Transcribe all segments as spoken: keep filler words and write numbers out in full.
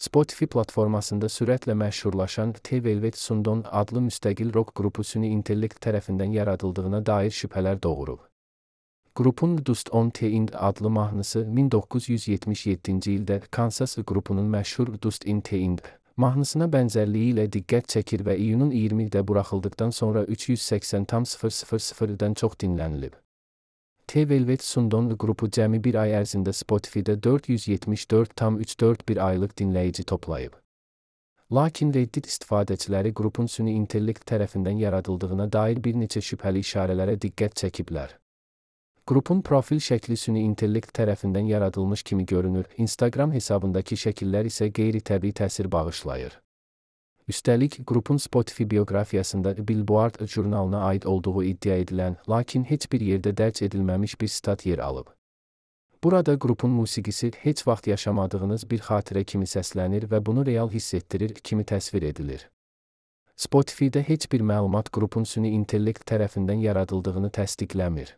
Spotify platformasında sürətlə məşhurlaşan The Velvet Sundon adlı müstəqil rock qrupu süni intellekt tərəfindən yaradıldığına dair şübhələr doğurub. Qrupun Dust on the Wind adlı mahnısı min doqquz yüz yetmiş yeddinci ildə Kansas qrupunun məşhur Dust in the Wind mahnısına bənzərliyi ilə diqqət çəkir və iyunun iyirmisində buraxıldıqdan sonra üç yüz səksən min dən çox dinlənilib. The Velvet Sundon qrupu cəmi bir ay ərzində Spotify-də dörd yüz yetmiş dörd min üç yüz dörd bir aylıq dinləyici toplayıb. Lakin Reddit istifadəçiləri qrupun süni intellekt tərəfindən yaradıldığına dair bir neçə şübhəli işarələrə diqqət çəkiblər. Qrupun profil şəkli süni intellekt tərəfindən yaradılmış kimi görünür, Instagram hesabındakı şəkillər isə qeyri-təbii təsir bağışlayır. Üstəlik, qrupun Spotify bioqrafiyasında Billboard jurnalına aid olduğu iddia edilən, lakin heç bir yerdə dərc edilməmiş bir stat yer alıb. Burada qrupun musiqisi heç vaxt yaşamadığınız bir xatirə kimi səslənir və bunu real hiss etdirir kimi təsvir edilir. Spotify-də heç bir məlumat qrupun süni intellekt tərəfindən yaradıldığını təsdiqləmir.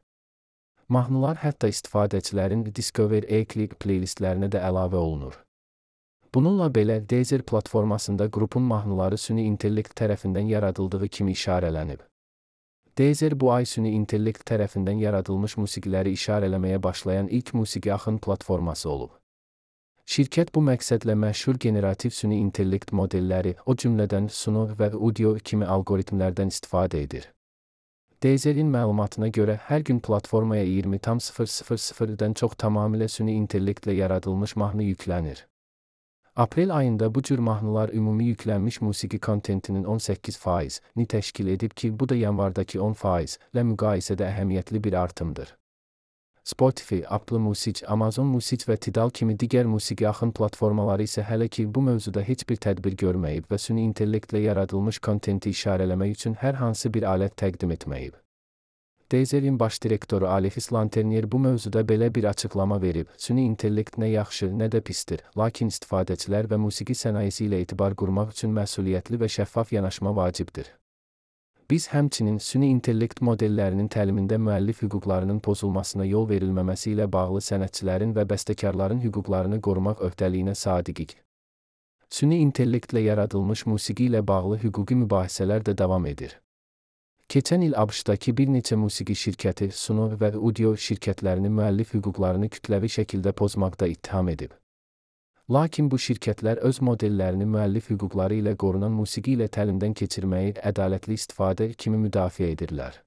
Mahnılar hətta istifadəçilərin Discover e-Click playlistlərinə də əlavə olunur. Bununla belə, Deezer platformasında qrupun mahnıları süni intellekt tərəfindən yaradıldığı kimi işarələnib. Deezer bu ay süni intellekt tərəfindən yaradılmış musiqiləri işarələməyə başlayan ilk musiqi axın platforması olub. Şirkət bu məqsədlə məşhur generativ süni intellekt modelləri, o cümlədən Suno və Udio kimi algoritmlərdən istifadə edir. Deezer'in məlumatına görə hər gün platformaya iyirmi min dən çox tamamilə süni intellektlə yaradılmış mahnı yüklənir. Aprel ayında bu cür mahnılar ümumi yüklənmiş musiqi kontentinin on səkkiz faizini təşkil edib ki, bu da yanvardakı on faizlə müqayisədə əhəmiyyətli bir artımdır. Spotify, Apple Music, Amazon Music və Tidal kimi digər musiqi axın platformaları isə hələ ki bu mövzuda heç bir tədbir görməyib və süni intellektlə yaradılmış kontenti işarələmək üçün hər hansı bir alət təqdim etməyib. Deezer'in baş direktoru Alexis Lanternier bu mövzuda belə bir açıqlama verib, süni intellekt nə yaxşı, nə də pisdir, lakin istifadəçilər və musiqi sənayesi ilə etibar qurmaq üçün məsuliyyətli və şəffaf yanaşma vacibdir. Biz həmçinin süni intellekt modellərinin təlimində müəllif hüquqlarının pozulmasına yol verilməməsi ilə bağlı sənətçilərin və bəstəkarların hüquqlarını qorumaq öhdəliyinə sadiqik. Süni intellektlə yaradılmış musiqi ilə bağlı hüquqi mübahisələr də davam edir. Keçən il ABŞ-dakı bir neçə musiqi şirkəti Suno və Udio şirkətlərini müəllif hüquqlarını kütləvi şəkildə pozmaqda ittiham edib. Lakin bu şirkətlər öz modellərini müəllif hüquqları ilə qorunan musiqi ilə təlimdən keçirməyi ədalətli istifadə kimi müdafiə edirlər.